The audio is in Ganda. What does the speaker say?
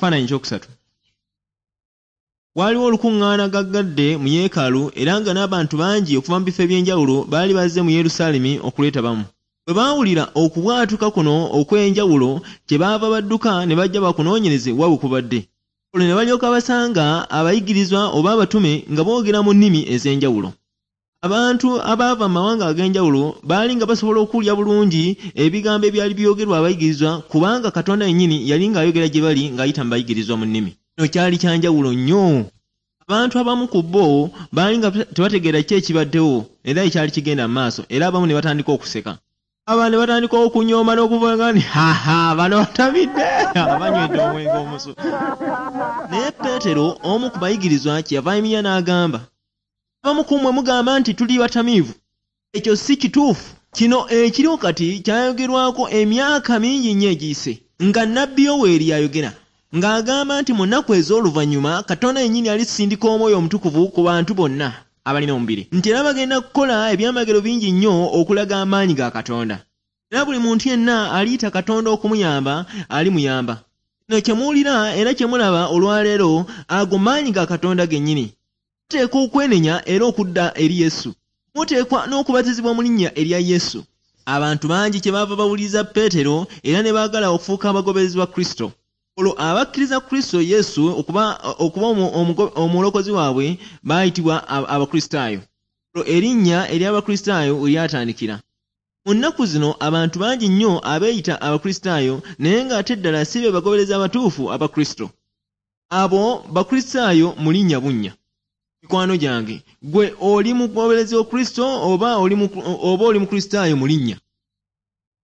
Ekifaananyi ekyokusatu. Waaliwo olukuŋŋaana gaggadde mu yeekaalu era nga n'abantu bangi okuva mu bifo eby'enjawulo baali bazze mu Yerusaalemi okulwetabamu. Bwe baawulira okubwatuka kuno okw'enjawulo, kyebaava badduka ne bajja bakunoonyereze wa we kubadde. Olwo ne balyoka basanga abayigirizwa oba abatume nga boogera mu nnimi ez'enjawulo. Abantu abaava mu mawanga ag'enjawulo baali nga basobola okuwulira bulungi ebigambo ebyali byogerwa abayigirizwa kubanga Katonda yennyini yali ng'ayogera gye bali ng'ayita mu bayigirizwa mu nnimi. Kino kyali kya njawulo nnyo. Abantu abamu ku bo baali nga tebategeera ki ekibaddewo era ekyali kigenda mu maaso era abamu ne batandika okuseka. Abalala ne batandika okunyooma n'okuvuga nti, Haha, bano batamidde, banywedde omwenge omusu. Naye Peetero, omu ku bayigirizwa, kyeyava ayimirira n'agamba, Abamu ku mmwe mugamba nti tuli batamiivu. Ekyo si kituufu. Kino ekiriwo kati kyayogerwako emyaka mingi nnyo egiyise, nga nnabbi Yoweeri y'ayogera, ng'agamba nti mu nnaku ez'oluvannyuma Katonda yennyini alisindika Omwoyo Omutukuvu ku bantu bonna abalina omubiri, nti era bagenda kukola ebyamagero bingi nnyo okulaga amaanyi ga Katonda. Era buli muntu yenna aliyita Katonda okumuyamba, alimuyamba. Kino kye muwulira era kye mulaba olwa leero, ago maanyi ga Katonda gennyini. Muteekwa okwenenya era okudda eri Yesu. Muteekwa n'okubatizibwa mu linnya erya Yesu. Abantu bangi kyebaava bawuliriza Peetero era ne baagala okufuuka abagoberezi ba Kristo. Olwo abakkiriza Kristo Yesu okuba okuba omulokozi waabwe baayitibwa Abakristaayo. Olwo erinnya ery'Abakristaayo we lyatandikira. Mu nnaku zino abantu bangi nnyo abeeyita Abakristaayo naye ng'ate ddala si be bagoberezi abatuufu aba Kristo. Abo Bakristaayo mu linnya bunnya. Mikwano gyange, ggwe oli mugoberezi wa Kristo oba oli oba oli Mukristaayo mu linnya?